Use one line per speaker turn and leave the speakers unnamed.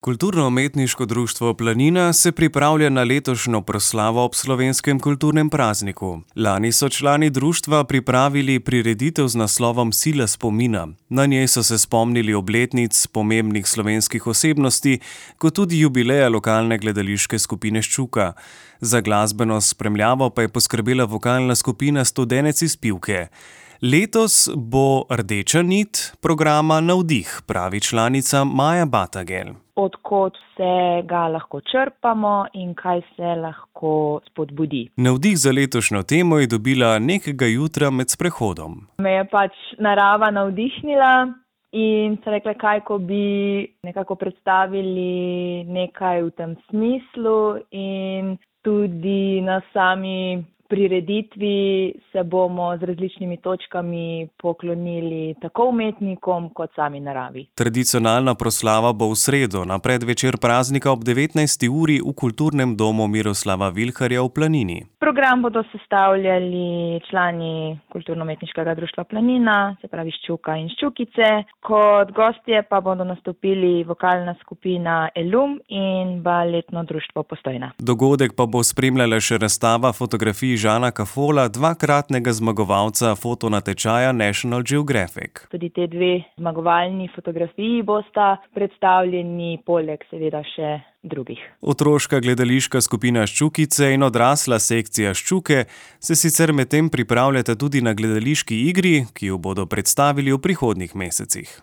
Kulturno-umetniško društvo Planina se pripravlja na letošnjo proslavo ob slovenskem kulturnem prazniku. Lani so člani društva pripravili prireditev z naslovom Sila spomina. Na njej so se spomnili obletnic pomembnih slovenskih osebnosti, kot tudi jubileja lokalne gledališke skupine Ščuka. Za glasbeno spremljavo pa je poskrbela vokalna skupina Studenec iz Pivke. Letos bo rdeča nit programa Navdih, pravi članica Maja Batagel.
Od kod vse ga lahko črpamo in kaj se lahko spodbudi.
Navdih za letošnjo temo je dobila nekega jutra med sprehodom.
Me je narava navdihnila in se rekla, kaj ko bi nekako predstavili nekaj v tem smislu, in tudi na sami prireditvi se bomo z različnimi točkami poklonili tako umetnikom kot sami naravi.
Tradicionalna proslava bo v sredo na predvečer praznika ob 19. uri v kulturnem domu Miroslava Vilharja v Planini.
Program bodo sestavljali člani Kulturno-umetniškega društva Planina, se pravi Ščuka in Ščukice. Kot gostje pa bodo nastopili vokalna skupina Elum in baletno društvo Postojna.
Dogodek pa bo spremljala še razstava fotografij Žana Kafola, dvakratnega zmagovalca fotonatečaja National Geographic.
Tudi te dve zmagovalni fotografiji bosta predstavljeni, poleg seveda še drugih.
Otroška gledališka skupina Ščukice in odrasla sekcija Ščuke se sicer medtem pripravljata tudi na gledališki igri, ki jo bodo predstavili v prihodnjih mesecih.